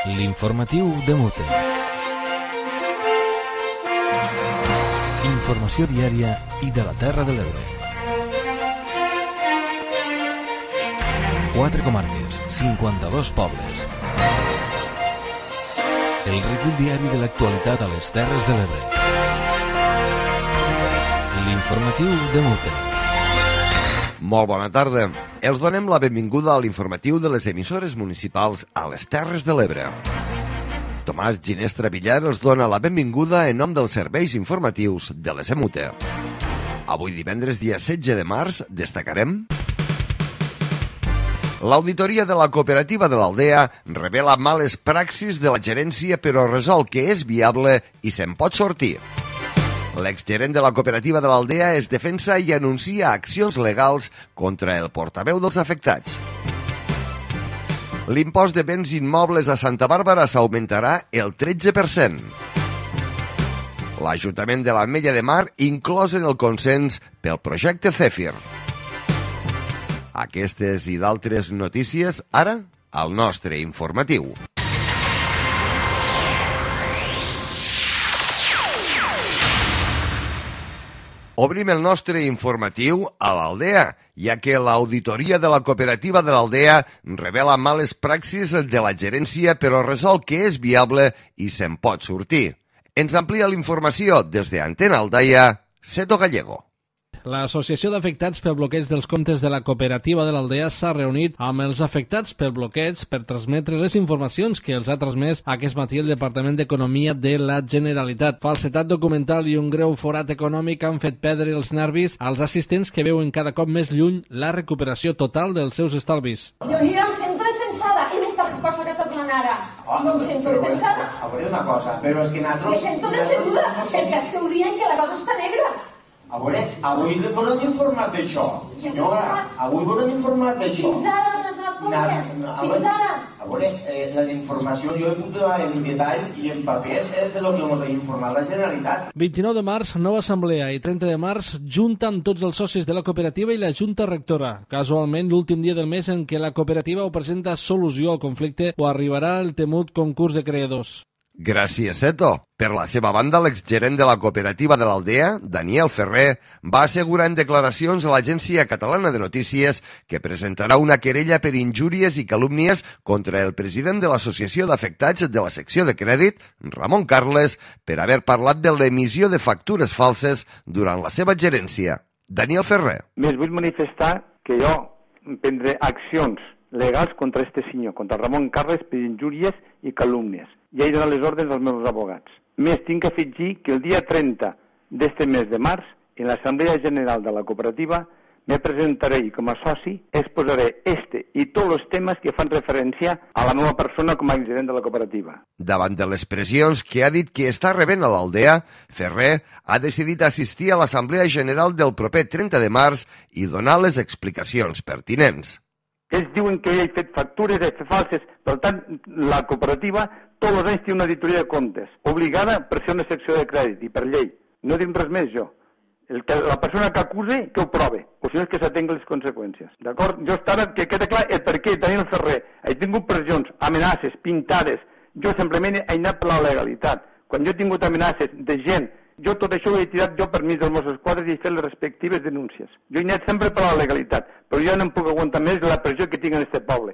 L'informatiu de Mute. Informació diària i de la Terra de l'Ebre. 4 comarques, 52 pobles. El recull diari de l'actualitat a les Terres de l'Ebre. L'informatiu de Mute. Molt bona tarda. Els donem la benvinguda a l'informatiu de les emissores municipals a les Terres de l'Ebre. Tomàs Ginestra Villar els dona la benvinguda en nom dels serveis informatius de les EMUTE. Avui divendres, dia 16 de març, destacarem: l'auditoria de la cooperativa de l'Aldea revela males praxis de la gerència però resol que és viable i se'n pot sortir. L'exgerent de la cooperativa de l'Aldea es defensa i anuncia accions legals contra el portaveu dels afectats. L'impost de béns immobles a Santa Bàrbara s'augmentarà el 13%. L'Ajuntament de l'Ametlla de Mar inclòs en el consens pel projecte Zèfir. Aquestes i d'altres notícies ara al nostre informatiu. Obrim el nostre informatiu a l'Aldea, ja que l'auditoria de la cooperativa de l'Aldea revela males praxis de la gerència però resol que és viable i se'n pot sortir. Ens amplia la informació des d'Antena Aldaia, Seto Gallego. L'Associació d'Afectats per Bloqueig dels Comptes de la Cooperativa de l'Aldea s'ha reunit amb els afectats per bloqueig per transmetre les informacions que els ha transmès aquest matí el Departament d'Economia de la Generalitat. Falsetat documental i un greu forat econòmic han fet perdre els nervis als assistents que veuen cada cop més lluny la recuperació total dels seus estalvis. Jo em sento defensada. Quina és la resposta que està donant ara? No em sento defensada. A veure una cosa, però és que nosaltres... Me sento decebuda perquè esteu dient que la cosa està negra. A veure, avui vos hem informat d'això, senyora, avui vos hem informat d'això. Fins ara no has donat compte. Fins ara. A veure, la informació jo he posat en detall i en papers de lo que ens ha informat la Generalitat. 29 de març, nova assemblea, i 30 de març, junta amb tots els socis de la cooperativa i la Junta Rectora. Casualment, l'últim dia del mes en què la cooperativa ho presenta solució al conflicte o arribarà el temut concurs de creadors. Gràcies, Seto. Per la seva banda, l'exgerent de la cooperativa de l'Aldea, Daniel Ferrer, va assegurar en declaracions a l'Agència Catalana de Notícies que presentarà una querella per injúries i calúmnies contra el president de l'Associació d'Afectats de la secció de crèdit, Ramon Carles, per haver parlat de l'emissió de factures falses durant la seva gerència. Daniel Ferrer. Més vull manifestar que jo prendré accions legals contra este senyor, contra Ramon Carles, per injúries i calúmnies. Ja he donat les ordres als meus abogats. Més, tinc que afegir que el dia 30 d'este mes de març, en l'Assemblea General de la Cooperativa, me presentaré i com a soci exposaré este i tots els temes que fan referència a la meva persona com a gerent de la cooperativa. Davant de les pressions que ha dit que està rebent a l'Aldea, Ferrer ha decidit assistir a l'Assemblea General del proper 30 de març i donar les explicacions pertinents. Ells diuen que he fet factures falses, per tant, la cooperativa tots els anys té una auditoria de comptes, obligada per ser una secció de crèdit i per llei. No dic res més, jo. La persona que acuse, que ho prove, o si no és que s'atengui les conseqüències. D'acord? Jo estava, que queda clar el per què Daniel Ferrer he tingut pressions, amenaces, pintades. Jo simplement he anat per la legalitat. Quan jo he tingut amenaces de gent, jo tot això ho he tirat jo per mig dels Mossos d'Esquadra i he fet les respectives denúncies. Jo he anat sempre per la legalitat, però jo no em puc aguantar més la pressió que tinc en este poble,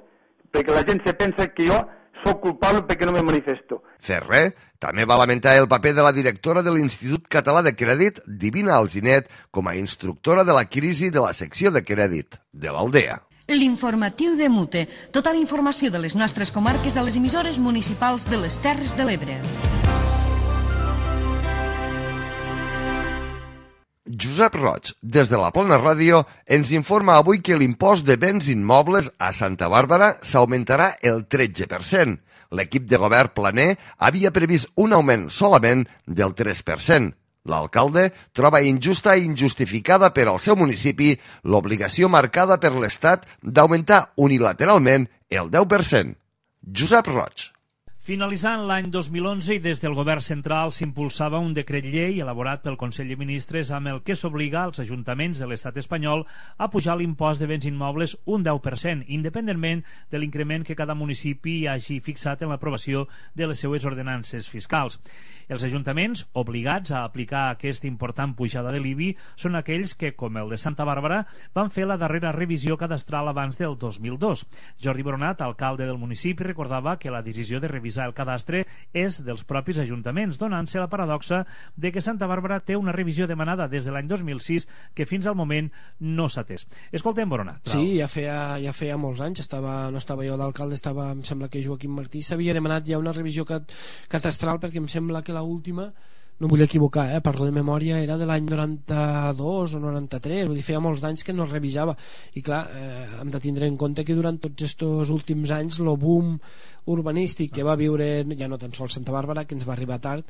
perquè la gent se pensa que jo soc culpable perquè no me manifesto. Ferrer també va lamentar el paper de la directora de l'Institut Català de Crèdit, Divina Alginet, com a instructora de la crisi de la secció de crèdit de l'Aldea. L'informatiu de Mute. Tota la informació de les nostres comarques a les emissores municipals de les Terres de l'Ebre. Josep Roig, des de la Plana Ràdio, ens informa avui que l'impost de béns immobles a Santa Bàrbara s'augmentarà el 13%. L'equip de govern planer havia previst un augment solament del 3%. L'alcalde troba injusta i injustificada per al seu municipi l'obligació marcada per l'Estat d'augmentar unilateralment el 10%. Josep Roig. Finalitzant l'any 2011 i des del govern central s'impulsava un decret llei elaborat pel Consell de Ministres amb el que s'obliga als ajuntaments de l'estat espanyol a pujar l'impost de béns immobles un 10%, independentment de l'increment que cada municipi hagi fixat en l'aprovació de les seues ordenances fiscals. Els ajuntaments obligats a aplicar aquesta important pujada de l'IBI són aquells que, com el de Santa Bàrbara, van fer la darrera revisió cadastral abans del 2002. Jordi Boronat, alcalde del municipi, recordava que la decisió de revisar el cadastre és dels propis ajuntaments, donant-se la paradoxa de que Santa Bàrbara té una revisió demanada des de l'any 2006 que fins al moment no s'ha atès. Escoltem Boronat. Sí, ja feia molts anys, no estava jo d'alcalde, em sembla que Joaquim Martí s'havia demanat ja una revisió catastral, perquè em sembla que l'última, no vull equivocar, parlo de memòria, era de l'any 92 o 93, vull dir, feia molts anys que no es revisava. I clar, hem de tindre en compte que durant tots aquests últims anys el boom urbanístic que va viure, ja no tan sols Santa Bàrbara, que ens va arribar tard,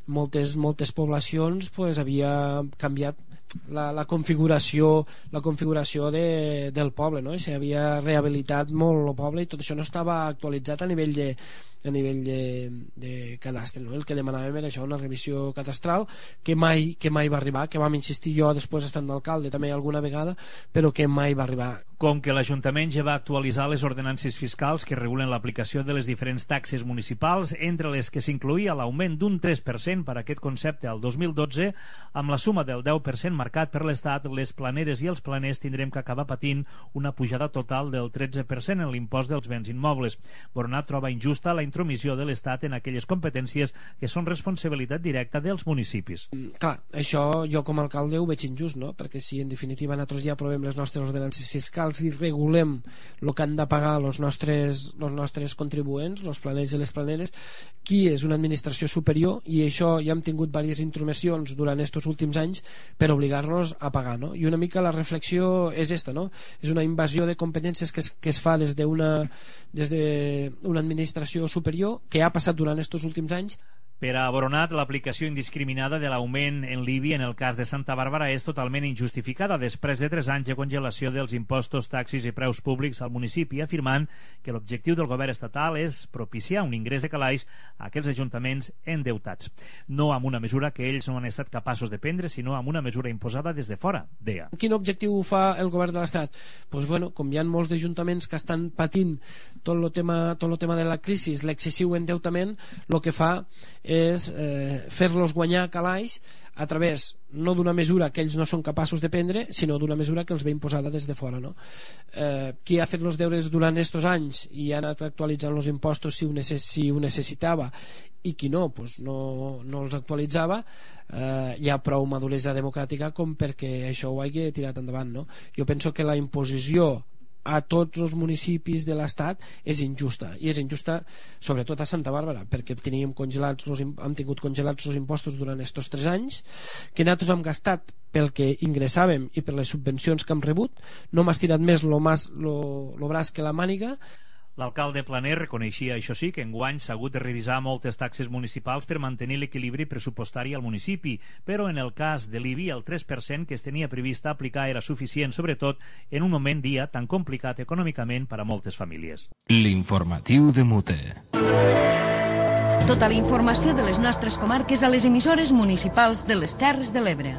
moltes poblacions havia canviat la configuració del poble, no? I s'havia rehabilitat molt el poble i tot això no estava actualitzat a nivell de cadastre, no? El que demanàvem era això, una revisió cadastral que mai va arribar, que vam insistir jo després estant d'alcalde també alguna vegada, però que mai va arribar. Com que l'Ajuntament ja va actualitzar les ordenances fiscals que regulen l'aplicació de les diferents taxes municipals, entre les que s'incloïa l'augment d'un 3% per aquest concepte al 2012, amb la suma del 10% marcat per l'Estat, les planeres i els planers tindrem que acabar patint una pujada total del 13% en l'impost dels béns immobles. Boronat troba injusta la intromissió de l'Estat en aquelles competències que són responsabilitat directa dels municipis. Clar, això jo com a alcalde ho veig injust, no? Perquè si en definitiva nosaltres ja aprovem les nostres ordenances fiscals i regulem el que han de pagar els nostres contribuents, els planers i les planeres, qui és una administració superior, i això ja hem tingut diverses intromissions durant aquests últims anys per obligar-nos a pagar, no? I una mica la reflexió és esta, no? És una invasió de competències que es fa des d'una administració superior que ha passat durant aquests últims anys. Per a Boronat, l'aplicació indiscriminada de l'augment en l'IBI en el cas de Santa Bàrbara és totalment injustificada després de 3 anys de congelació dels impostos, taxis i preus públics al municipi, afirmant que l'objectiu del govern estatal és propiciar un ingrés de calaix a aquells ajuntaments endeutats. No amb una mesura que ells no han estat capaços de prendre, sinó amb una mesura imposada des de fora, deia. Quin objectiu fa el govern de l'Estat? Doncs bueno, com hi ha molts d'ajuntaments que estan patint tot el tema de la crisi, l'excessiu endeutament, el que fa és fer-los guanyar calaix a través no d'una mesura que ells no són capaços de prendre, sinó d'una mesura que els ve imposada des de fora, no? Qui ha fet els deures durant aquests anys i ha anat actualitzant els impostos si ho necessitava, i qui no, doncs no els actualitzava, hi ha prou maduresa democràtica com perquè això ho hagi tirat endavant, no? Jo penso que la imposició a tots els municipis de l'Estat és injusta, i és injusta sobretot a Santa Bàrbara, perquè hem tingut congelats els impostos durant aquests 3 anys que nosaltres hem gastat pel que ingressàvem i per les subvencions que hem rebut. No m'ha estirat més lo braç que la màniga. L'alcalde Planer reconeixia, això sí, que enguany s'ha hagut de revisar moltes taxes municipals per mantenir l'equilibri pressupostari al municipi, però en el cas de l'IBI el 3% que es tenia previst aplicar era suficient, sobretot en un moment dia tan complicat econòmicament per a moltes famílies. L'informatiu de Mute. Tota la informació de les nostres comarques a les emissores municipals de les Terres de l'Ebre.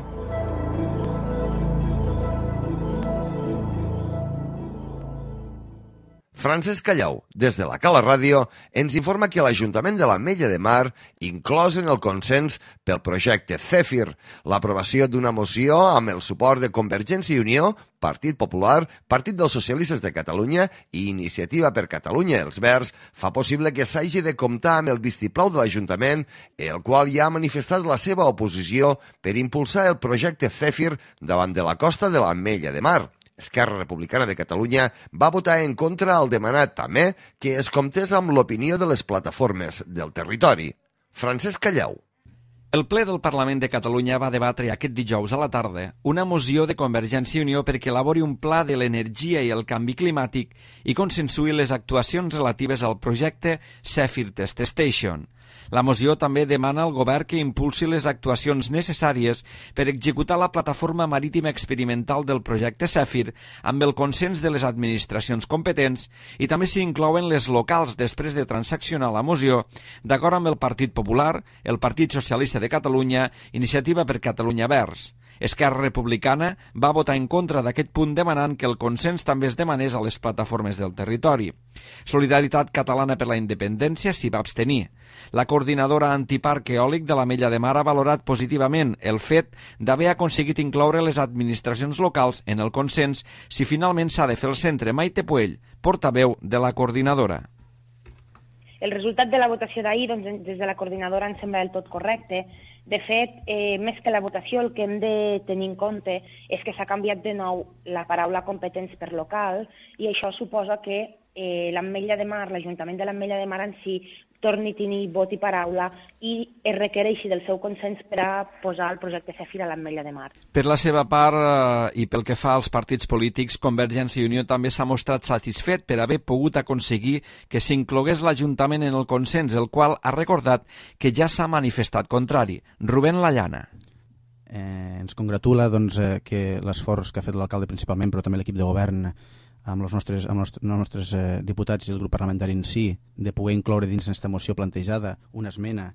Francesc Callau, des de la Cala Ràdio, ens informa que l'Ajuntament de l'Ametlla de Mar, inclòs en el consens pel projecte CEFIR, l'aprovació d'una moció amb el suport de Convergència i Unió, Partit Popular, Partit dels Socialistes de Catalunya i Iniciativa per Catalunya els Verds, fa possible que s'hagi de comptar amb el vistiplau de l'Ajuntament, el qual ja ha manifestat la seva oposició per impulsar el projecte CEFIR davant de la costa de l'Ametlla de Mar. Esquerra Republicana de Catalunya va votar en contra al demanar també que es comptés amb l'opinió de les plataformes del territori. Francesc Callau. El ple del Parlament de Catalunya va debatre aquest dijous a la tarda una moció de Convergència i Unió perquè elabori un pla de l'energia i el canvi climàtic i consensuï les actuacions relatives al projecte Zephyr Test Station. La moció també demana al govern que impulsi les actuacions necessàries per executar la plataforma marítima experimental del projecte Zèfir amb el consens de les administracions competents i també s'hi inclouen les locals després de transaccionar la moció d'acord amb el Partit Popular, el Partit Socialista de Catalunya, Iniciativa per Catalunya Verds. Esquerra Republicana va votar en contra d'aquest punt demanant que el consens també es demanés a les plataformes del territori. Solidaritat Catalana per la Independència s'hi va abstenir. La coordinadora antiparc eòlic de l'Ametlla de Mar ha valorat positivament el fet d'haver aconseguit incloure les administracions locals en el consens si finalment s'ha de fer el centre. Maite Puell, portaveu de la coordinadora. El resultat de la votació d'ahir, doncs, des de la coordinadora ens sembla del tot correcte. De fet, més que la votació, el que hem de tenir en compte és que s'ha canviat de nou la paraula competents per local i això suposa que l'Ametlla de Mar, l'Ajuntament de l'Ametlla de Mar en si, torni a tenir vot i paraula i es requereixi del seu consens per a posar el projecte Zèfir a l'Ametlla de Mar. Per la seva part, i pel que fa als partits polítics, Convergència i Unió també s'ha mostrat satisfet per haver pogut aconseguir que s'inclogués l'Ajuntament en el consens, el qual ha recordat que ja s'ha manifestat contrari. Rubén Lallana. Ens congratula que l'esforç que ha fet l'alcalde principalment, però també l'equip de govern, amb els nostres diputats i el grup parlamentari en si, de poder incloure dins aquesta moció plantejada una esmena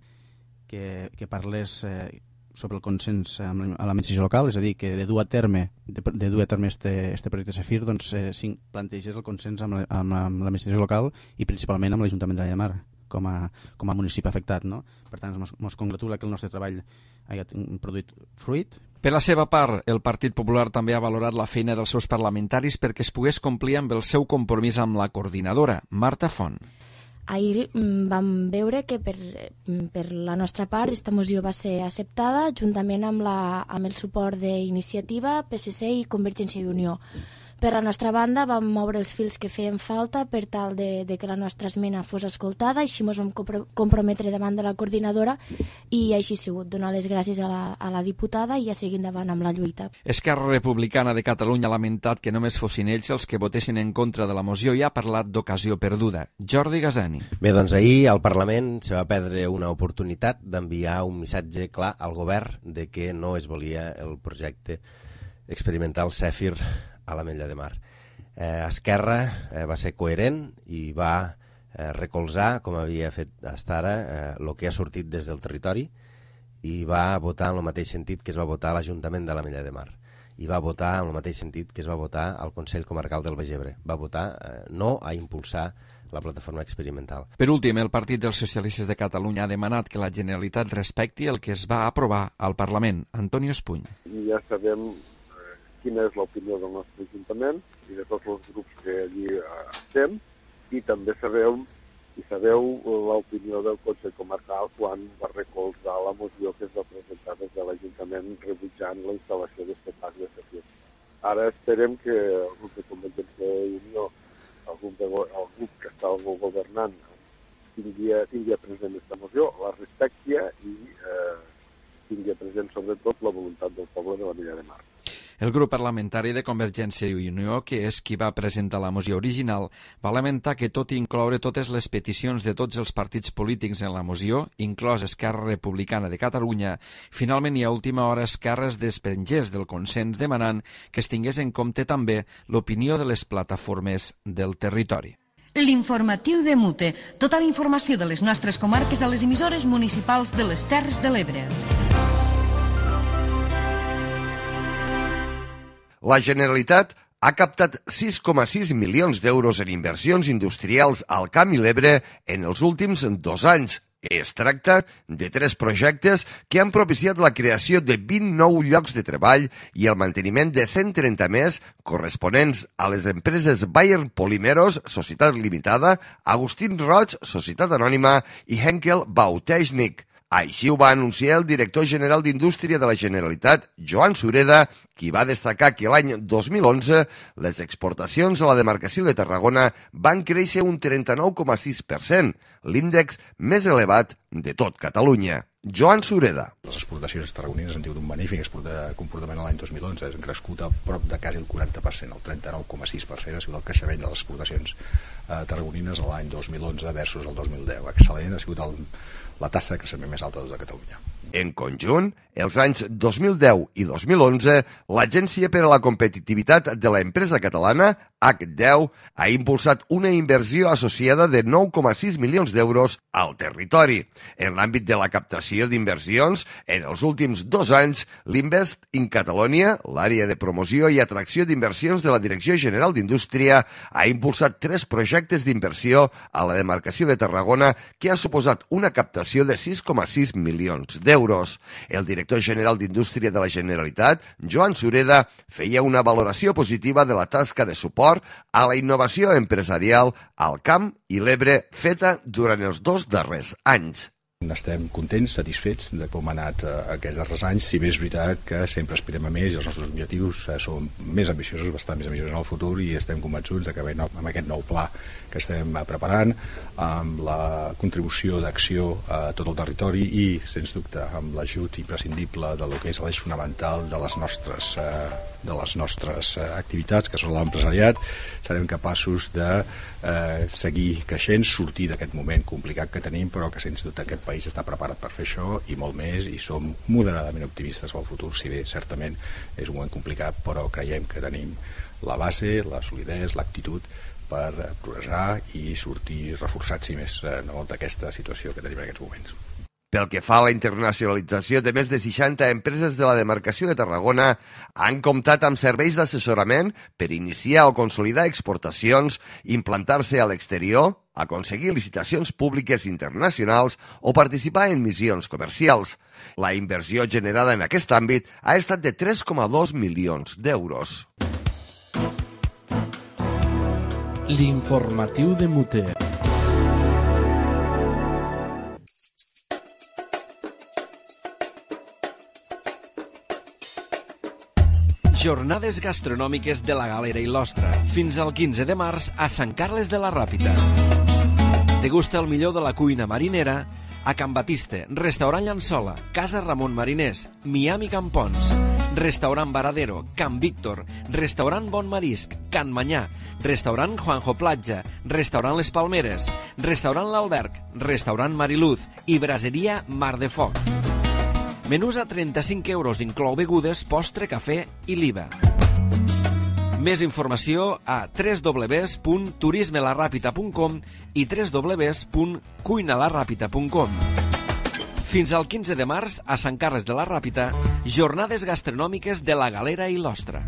que parlés sobre el consens amb l'administració local, és a dir, que de dur a terme este projecte Zèfir, doncs plantegés el consens amb l'administració local i principalment amb l'Ajuntament de l'Ametlla de Mar com a municipi afectat, no? Per tant, ens congratula que el nostre treball hagi produït fruit. Per la seva part, el Partit Popular també ha valorat la feina dels seus parlamentaris perquè es pogués complir amb el seu compromís amb la coordinadora, Marta Font. Ahir vam veure que per la nostra part aquesta moció va ser acceptada juntament amb el suport d'Iniciativa, PSC i Convergència i Unió. Per la nostra banda vam moure els fils que feien falta per tal de que la nostra esmena fos escoltada, així ens vam comprometre davant de la coordinadora i així ha sigut, donar les gràcies a la diputada i a seguir endavant amb la lluita. Esquerra Republicana de Catalunya ha lamentat que només fossin ells els que votessin en contra de la moció i ha parlat d'ocasió perduda. Jordi Gazani. Bé, doncs ahir al Parlament se va perdre una oportunitat d'enviar un missatge clar al govern de que no es volia el projecte experimental Zèfir a l'Ametlla de Mar. Esquerra va ser coherent i va recolzar, com havia fet fins ara, el que ha sortit des del territori i va votar en el mateix sentit que es va votar a l'Ajuntament de l'Ametlla de Mar i va votar en el mateix sentit que es va votar al Consell Comarcal del Baix Ebre. Va votar no a impulsar la plataforma experimental. Per últim, el Partit dels Socialistes de Catalunya ha demanat que la Generalitat respecti el que es va aprovar al Parlament. Antonio Espuny. Ja sabem quina és l'opinió del nostre Ajuntament i de tots els grups que allí estem, i també sabeu l'opinió del Consell Comarcal quan va recolzar la moció que es va presentar des de l'Ajuntament rebutjant la instal·lació d'aquest parc de Zèfir. Ara esperem que el grup de Convergència i Unió, el grup que està governant, tingui present aquesta moció, la respecti i tingui present sobretot la voluntat del poble de l'Ametlla de Mar. El grup parlamentari de Convergència i Unió, que és qui va presentar la moció original, va lamentar que tot i incloure totes les peticions de tots els partits polítics en la moció, inclòs Esquerra Republicana de Catalunya, finalment i a última hora Esquerra es desprengés del consens demanant que es tingués en compte també l'opinió de les plataformes del territori. L'informatiu de Mute. Tota la informació de les nostres comarques a les emissores municipals de les Terres de l'Ebre. La Generalitat ha captat 6,6 milions d'euros en inversions industrials al Camp i l'Ebre en els últims 2 anys. Es tracta de 3 projectes que han propiciat la creació de 29 llocs de treball i el manteniment de 130 més corresponents a les empreses Bayer Polimeros, Societat Limitada, Agustín Roig, Societat Anònima i Henkel Bautechnik. Així ho va anunciar el director general d'Indústria de la Generalitat, Joan Sureda, qui va destacar que l'any 2011 les exportacions a la demarcació de Tarragona van créixer un 39,6%, l'índex més elevat de tot Catalunya. Joan Sureda. Les exportacions tarragonines han tingut un magnífic comportament l'any 2011, han crescut a prop de quasi el 40%, el 39,6% ha sigut el creixement de les exportacions tarragonines l'any 2011 versus el 2010. Excel·lent, ha sigut la taxa de creixement més alta de Catalunya. En conjunt, els anys 2010 i 2011, l'Agència per a la Competitivitat de l'Empresa Catalana, H10, ha impulsat una inversió associada de 9,6 milions d'euros al territori. En l'àmbit de la captació d'inversions, en els últims 2 anys, l'Invest in Catalonia, l'àrea de promoció i atracció d'inversions de la Direcció General d'Indústria, ha impulsat 3 projectes d'inversió a la demarcació de Tarragona que ha suposat una captació de 6,6 milions d'euros. El director general d'Indústria de la Generalitat, Joan Sureda, feia una valoració positiva de la tasca de suport a la innovació empresarial al Camp i l'Ebre feta durant els 2 darrers anys. Estem contents, satisfets de com ha anat aquests darrers anys, si bé és veritat que sempre aspirem a més i els nostres objectius són més ambiciosos, bastant més ambiciosos en el futur, i estem convençuts que amb aquest nou pla que estem preparant, amb la contribució d'acció a tot el territori i, sens dubte, amb l'ajut imprescindible del que és l'eix fonamental de les nostres activitats, que són l'empresariat, serem capaços de seguir creixent, sortir d'aquest moment complicat que tenim, però que sens dubte aquest país està preparat per fer això i molt més, i som moderadament optimistes pel futur, si bé certament és un moment complicat, però creiem que tenim la base, la solidesa, l'actitud per progressar i sortir reforçats, si més no, d'aquesta situació que tenim en aquests moments. Pel que fa a la internacionalització de més de 60 empreses de la demarcació de Tarragona, han comptat amb serveis d'assessorament per iniciar o consolidar exportacions, implantar-se a l'exterior, aconseguir licitacions públiques internacionals o participar en missions comercials. La inversió generada en aquest àmbit ha estat de 3,2 milions d'euros. L'informatiu de Muter. Jornades gastronòmiques de la Galera i l'Ostra. Fins al 15 de març a Sant Carles de la Ràpita. Degusta el millor de la cuina marinera a Can Batiste, Restaurant Llançola, Casa Ramon Mariners, Miami Campons, Restaurant Varadero, Can Víctor, Restaurant Bon Marisc, Can Manyà, Restaurant Juanjo Platja, Restaurant Les Palmeres, Restaurant L'Alberg, Restaurant Mariluz i Braseria Mar de Foc. Menús a 35 euros, inclou begudes, postre, cafè i l'IVA. Més informació a www.turismelarrapita.com i www.cuinalarrapita.com. Fins al 15 de març, a Sant Carles de la Ràpita, jornades gastronòmiques de la Galera i l'Ostra.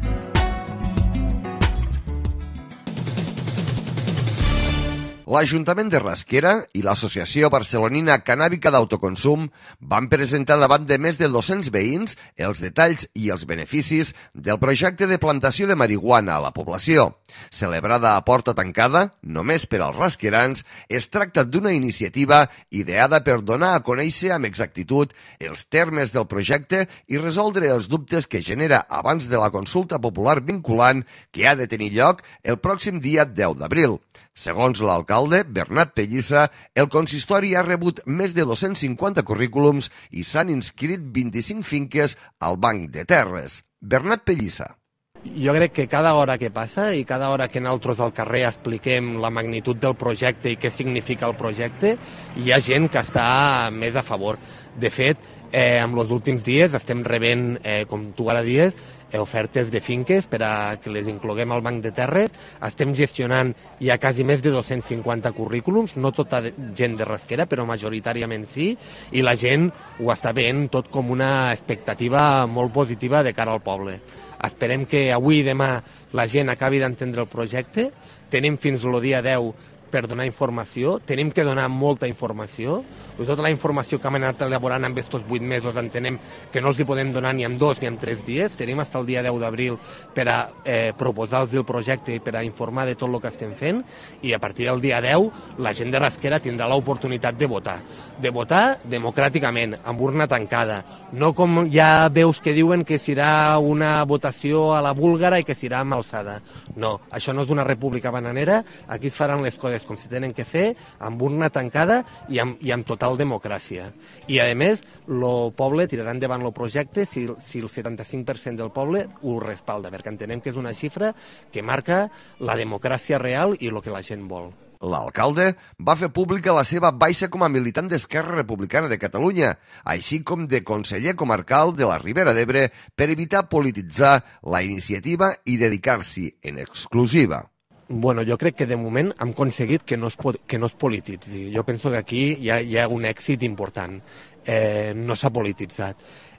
L'Ajuntament de Rasquera i l'Associació Barcelonina Cannàbica d'Autoconsum van presentar davant de més de 200 veïns els detalls i els beneficis del projecte de plantació de marihuana a la població. Celebrada a porta tancada, només per als rasquerans, es tracta d'una iniciativa ideada per donar a conèixer amb exactitud els termes del projecte i resoldre els dubtes que genera abans de la consulta popular vinculant que ha de tenir lloc el pròxim dia 10 d'abril. Segons l'alcalde, Bernat Pellissa, el consistori ha rebut més de 250 currículums i s'han inscrit 25 finques al Banc de Terres. Bernat Pellissa. Jo crec que cada hora que passa i cada hora que nosaltres al carrer expliquem la magnitud del projecte i què significa el projecte, hi ha gent que està més a favor. De fet, en els últims dies estem rebent, com tu ara dies, ofertes de finques per a que les incloguem al Banc de Terres. Estem gestionant ja quasi més de 250 currículums, no tota gent de Rasquera, però majoritàriament sí, i la gent ho està veient tot com una expectativa molt positiva de cara al poble. Esperem que avui i demà la gent acabi d'entendre el projecte. Tenim fins el dia 10 per donar informació, tenim que donar molta informació. Tota la informació que hem anat elaborant en aquests 8 mesos entenem que no els hi podem donar ni en 2 ni en 3 dies. Tenim fins al dia 10 d'abril per a proposar-los el projecte i per a informar de tot el que estem fent, i a partir del dia 10 la gent de Rasquera tindrà l'oportunitat de votar democràticament, amb urna tancada, no com ja veus que diuen que serà una votació a la búlgara i que serà amb alçada. No, això no és una república bananera, aquí es faran les coses coses com se tenen que fer, amb urna tancada i amb total democràcia. I, a més, el poble tirarà endavant el projecte si el 75% del poble ho respalda, perquè entenem que és una xifra que marca la democràcia real i el que la gent vol. L'alcalde va fer pública la seva baixa com a militant d'Esquerra Republicana de Catalunya, així com de conseller comarcal de la Ribera d'Ebre per evitar polititzar la iniciativa i dedicar-s'hi en exclusiva. Bueno, jo crec que de moment hem aconseguit que no es polititzi. Jo penso que aquí hi ha un èxit important. No s'ha polititzat.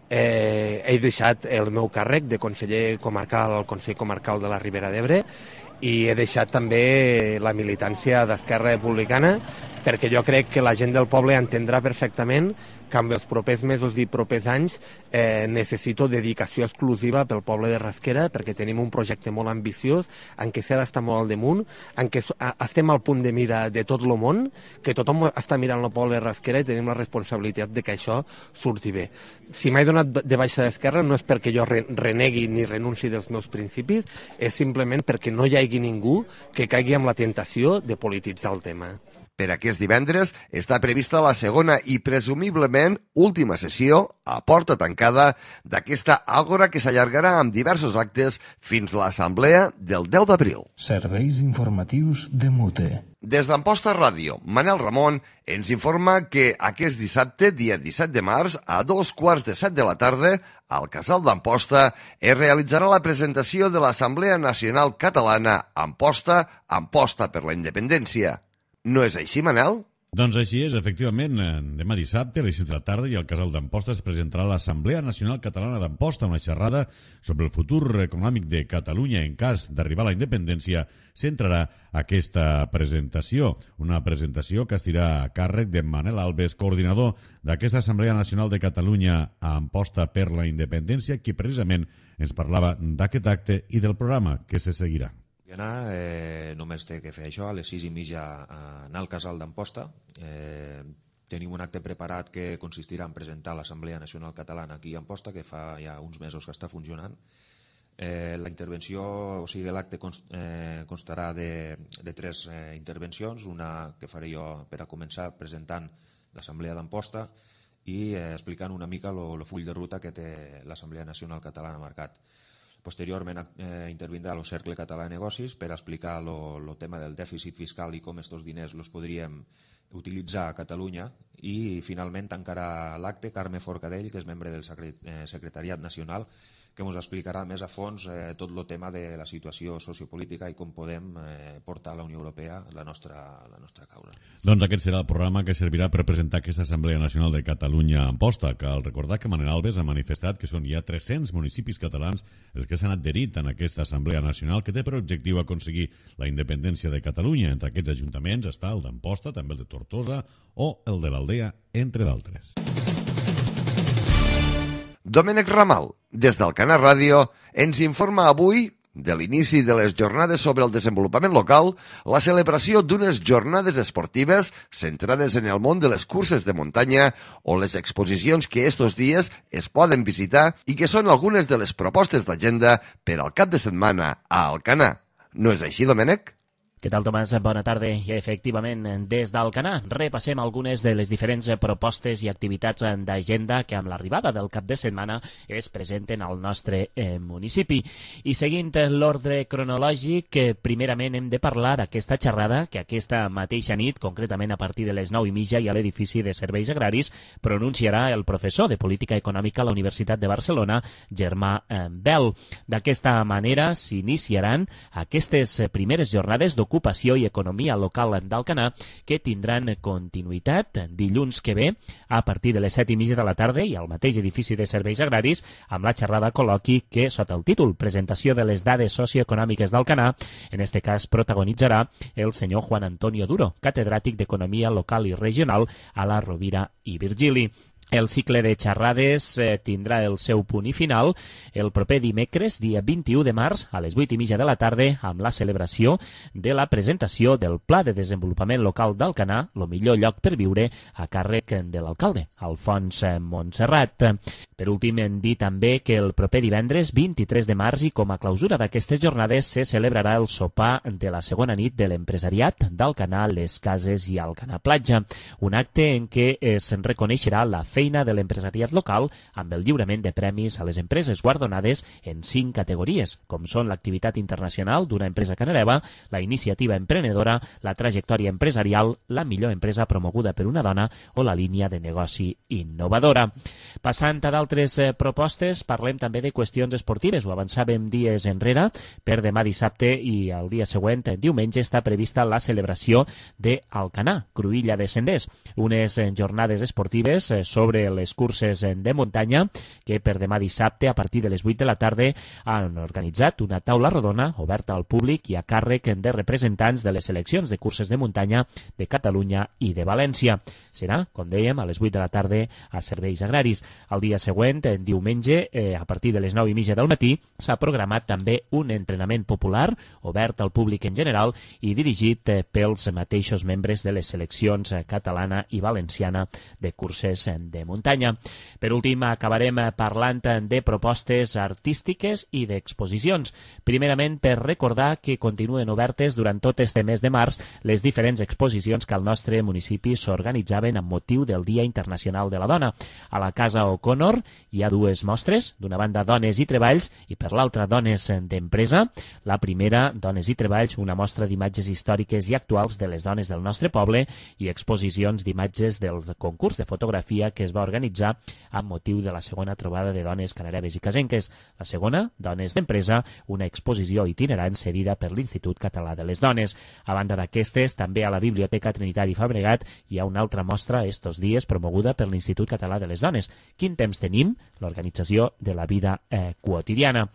He deixat el meu càrrec de conseller comarcal al Consell Comarcal de la Ribera d'Ebre i he deixat també la militància d'Esquerra Republicana perquè jo crec que la gent del poble entendrà perfectament que en els propers mesos i propers anys necessito dedicació exclusiva pel poble de Rasquera perquè tenim un projecte molt ambiciós en què s'ha d'estar molt al damunt, en què estem al punt de mira de tot el món, que tothom està mirant el poble de Rasquera i tenim la responsabilitat de que això surti bé. Si m'he donat de baixa d'Esquerra no és perquè jo renegui ni renunci dels meus principis, és simplement perquè no hi hagi ningú que caigui amb la tentació de polititzar el tema. Per aquest divendres està prevista la segona i presumiblement última sessió, a porta tancada, d'aquesta àgora que s'allargarà amb diversos actes fins a l'assemblea del 10 d'abril. Serveis informatius de Mute. Des d'Amposta Ràdio, Manel Ramon ens informa que aquest dissabte, dia 17 de març, a 2:15 de la tarda, al Casal d'Amposta, es realitzarà la presentació de l'Assemblea Nacional Catalana Amposta per la Independència. No és així, Manel? Doncs així és, efectivament. Demà dissabte, a les 6 de la tarda, i al Casal d'Amposta es presentarà l'Assemblea Nacional Catalana d'Amposta, una xerrada sobre el futur econòmic de Catalunya en cas d'arribar a la independència. Centrarà aquesta presentació, una presentació que estirà a càrrec de Manel Alves, coordinador d'aquesta Assemblea Nacional de Catalunya a Amposta per la Independència, qui precisament ens parlava d'aquest acte i del programa que se seguirà. Només té que fer això, a les 6:30 anar al Casal d'Amposta. Tenim un acte preparat que consistirà en presentar l'Assemblea Nacional Catalana aquí a Amposta, que fa ja uns mesos que està funcionant. La intervenció, o sigui, l'acte constarà de 3 intervencions, una que faré jo per a començar presentant l'Assemblea d'Amposta i explicant una mica el full de ruta que té l'Assemblea Nacional Catalana marcat. Posteriorment intervindrà el Cercle Català de Negocis per explicar el tema del dèficit fiscal i com aquests diners els podríem utilitzar a Catalunya, i finalment tancarà l'acte Carme Forcadell, que és membre del Secretariat Nacional, que ens explicarà més a fons tot el tema de la situació sociopolítica i com podem portar a la Unió Europea la nostra causa. Doncs aquest serà el programa que servirà per presentar aquesta Assemblea Nacional de Catalunya a Amposta. Cal recordar que Manel Alves ha manifestat que són ja 300 municipis catalans els que s'han adherit en aquesta Assemblea Nacional, que té per objectiu aconseguir la independència de Catalunya. Entre aquests ajuntaments està el d'Amposta, també el de Tortosa o el de l'Aldea, entre d'altres. Domènec Ramal, des d'Alcanar Ràdio, ens informa avui de l'inici de les jornades sobre el desenvolupament local, la celebració d'unes jornades esportives centrades en el món de les curses de muntanya o les exposicions que estos dies es poden visitar i que són algunes de les propostes d'agenda per al cap de setmana a Alcanar. No és així, Domènec? Què tal, Tomàs? Bona tarda. I efectivament, des d'Alcanar repassem algunes de les diferents propostes i activitats d'agenda que amb l'arribada del cap de setmana es presenten al nostre municipi. I seguint l'ordre cronològic, primerament hem de parlar d'aquesta xerrada que aquesta mateixa nit, concretament a partir de les 9:30 i a l'edifici de Serveis Agraris, pronunciarà el professor de Política Econòmica a la Universitat de Barcelona, Germà Bel. D'aquesta manera s'iniciaran aquestes primeres jornades d'ocupació i economia local d'Alcanar, que tindran continuïtat dilluns que ve a partir de les 7:30 de la tarda i al mateix edifici de Serveis Agraris, amb la xerrada col·loqui que, sota el títol Presentació de les dades socioeconòmiques d'Alcanar, en este cas protagonitzarà el senyor Juan Antonio Duro, catedràtic d'Economia Local i Regional a la Rovira i Virgili. El cicle de xerrades tindrà el seu punt i final el proper dimecres, dia 21 de març, a les 8:30 de la tarda, amb la celebració de la presentació del Pla de Desenvolupament Local d'Alcanar, el millor lloc per viure, a càrrec de l'alcalde, Alfons Montserrat. Per últim, hem dit també que el proper divendres, 23 de març, i com a clausura d'aquestes jornades, se celebrarà el sopar de la segona nit de l'empresariat d'Alcanar, les Cases i Alcanar Platja, un acte en què es reconeixerà la feina de l'empresariat local amb el lliurament de premis a les empreses guardonades en 5 categories, com són l'activitat internacional d'una empresa canareva, la iniciativa emprenedora, la trajectòria empresarial, la millor empresa promoguda per una dona o la línia de negoci innovadora. Passant a d'altres propostes, parlem també de qüestions esportives. Ho avançàvem dies enrere. Per demà dissabte i el dia següent, diumenge, està prevista la celebració d'Alcanar, Cruïlla de Senders, unes jornades esportives sobre les curses de muntanya que per demà dissabte a partir de les 8 de la tarda han organitzat una taula rodona oberta al públic i a càrrec de representants de les seleccions de curses de muntanya de Catalunya i de València. Serà, com dèiem, a les 8 de la tarda a Serveis Agraris. El dia següent, diumenge, a partir de les 9:30 del matí, s'ha programat també un entrenament popular obert al públic en general i dirigit pels mateixos membres de les seleccions catalana i valenciana de curses de muntanya. Per últim, acabarem parlant de propostes artístiques i d'exposicions. Primerament, per recordar que continuen obertes durant tot este mes de març les diferents exposicions que al nostre municipi s'organitzaven amb motiu del Dia Internacional de la Dona. A la Casa O'Connor hi ha 2 mostres, d'una banda Dones i Treballs i per l'altra Dones d'Empresa. La primera, Dones i Treballs, una mostra d'imatges històriques i actuals de les dones del nostre poble i exposicions d'imatges del concurs de fotografia que es va organitzar amb motiu de la segona trobada de dones canareves i casenques. La segona, Dones d'Empresa, una exposició itinerant cedida per l'Institut Català de les Dones. A banda d'aquestes, també a la Biblioteca Trinitari Fabregat hi ha una altra mostra estos dies promoguda per l'Institut Català de les Dones. Quin temps tenim? L'organització de la vida quotidiana.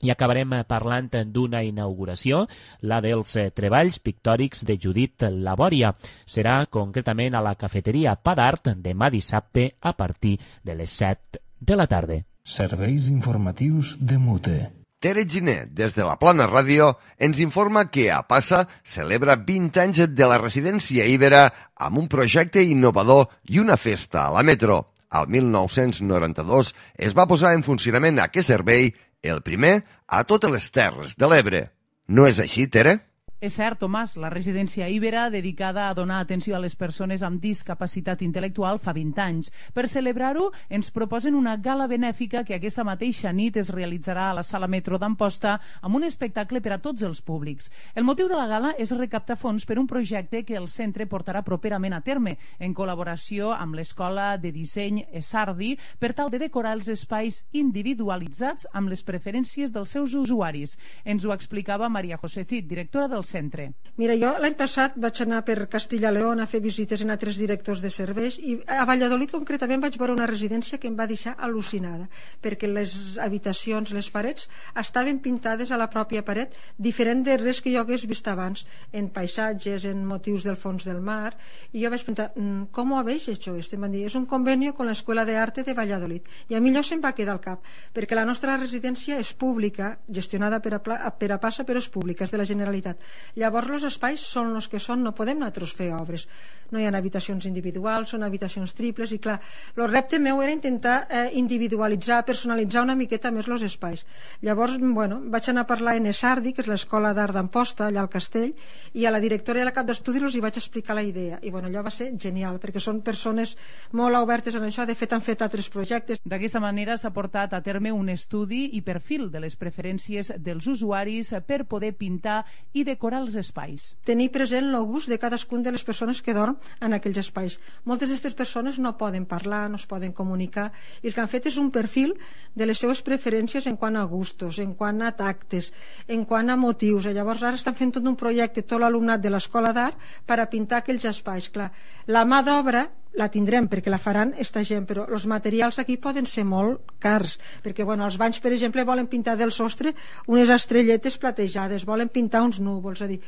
I acabarem parlant d'una inauguració, la dels treballs pictòrics de Judit Labòria. Serà concretament a la cafeteria Pa d'Art demà dissabte a partir de les 7 de la tarda. Serveis informatius de Mute. Tere Giner, des de la Plana Ràdio, ens informa que a Passa celebra 20 anys de la residència Ibera amb un projecte innovador i una festa a la metro. Al 1992 es va posar en funcionament aquest servei, el primer a totes les Terres de l'Ebre. No és així, Tere? És cert, Tomàs, la residència Ibera, dedicada a donar atenció a les persones amb discapacitat intel·lectual, fa 20 anys. Per celebrar-ho, ens proposen una gala benèfica que aquesta mateixa nit es realitzarà a la Sala Metro d'Amposta amb un espectacle per a tots els públics. El motiu de la gala és recaptar fons per un projecte que el centre portarà properament a terme, en col·laboració amb l'Escola de Disseny Esardi, per tal de decorar els espais individualitzats amb les preferències dels seus usuaris. Ens ho explicava Maria José Cid, directora del centre. Mira, jo l'any passat vaig anar per Castilla León a fer visites en altres directors de serveis i a Valladolid concretament vaig veure una residència que em va deixar al·lucinada, perquè les habitacions, les parets estaven pintades a la pròpia paret, diferent de res que jo hagués vist abans, en paisatges, en motius del fons del mar, i jo vaig pensar, com ho habéis hecho esto? Em van dir, és un convenio con la Escuela de Arte de Valladolid, i a mi allò se'm va quedar al cap, perquè la nostra residència és pública, gestionada per a Passa, però és pública, és de la Generalitat. Llavors els espais són els que són, no podem nosaltres fer obres, no hi ha habitacions individuals, són habitacions triples, i clar, el repte meu era intentar individualitzar, personalitzar una miqueta més els espais. Llavors, bueno, vaig anar a parlar en Esardi, que és l'Escola d'Art d'Amposta, allà al Castell, i a la directora i a la cap d'estudis els hi vaig explicar la idea, i bueno, allò va ser genial, perquè són persones molt obertes en això, de fet han fet altres projectes. D'aquesta manera s'ha portat a terme un estudi i perfil de les preferències dels usuaris per poder pintar i decorar els espais. Tenir present el gust de cadascun de les persones que dorm en aquells espais. Moltes d'aquestes persones no poden parlar, no es poden comunicar, i el que han fet és un perfil de les seves preferències en quant a gustos, en quant a tactes, en quant a motius. Llavors ara estan fent tot un projecte, tot l'alumnat de l'Escola d'Art, per a pintar aquells espais. Clar, la mà d'obra la tindrem perquè la faran esta gent, però els materials aquí poden ser molt cars, perquè els banys, per exemple, volen pintar del sostre unes estrelletes platejades, volen pintar uns núvols, és a dir,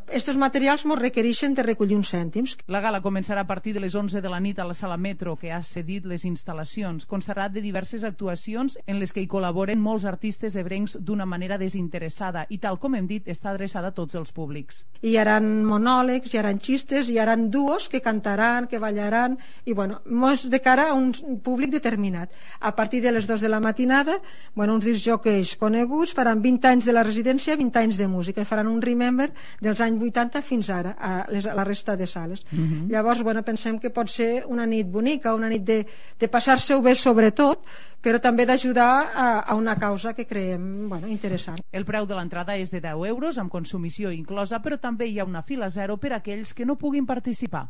estos materials ens requereixen de recollir uns cèntims. La gala començarà a partir de les 11 de la nit a la Sala Metro, que ha cedit les instal·lacions. Constarà de diverses actuacions en les que hi col·laboren molts artistes ebrencs d'una manera desinteressada i, tal com hem dit, està adreçada a tots els públics. Hi haurà monòlegs, hi haurà xistes, hi haurà duos que cantaran, que ballaran, i és de cara a un públic determinat. A partir de les 2 de la matinada, uns discjòqueis coneguts faran 20 anys de la residència, 20 anys de música, i faran un remember dels anys 80 fins ara, a la resta de sales. Llavors, pensem que pot ser una nit bonica, una nit de passar-se-ho bé sobretot, però també d'ajudar a una causa que creiem interessant. El preu de l'entrada és de 10 euros, amb consumició inclosa, però també hi ha una fila zero per a aquells que no puguin participar.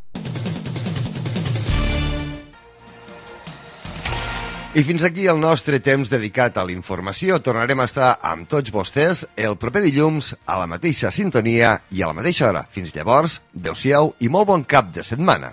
I fins aquí el nostre temps dedicat a la informació. Tornarem a estar amb tots vostès el proper dilluns a la mateixa sintonia i a la mateixa hora. Fins llavors, adeu-siau i molt bon cap de setmana.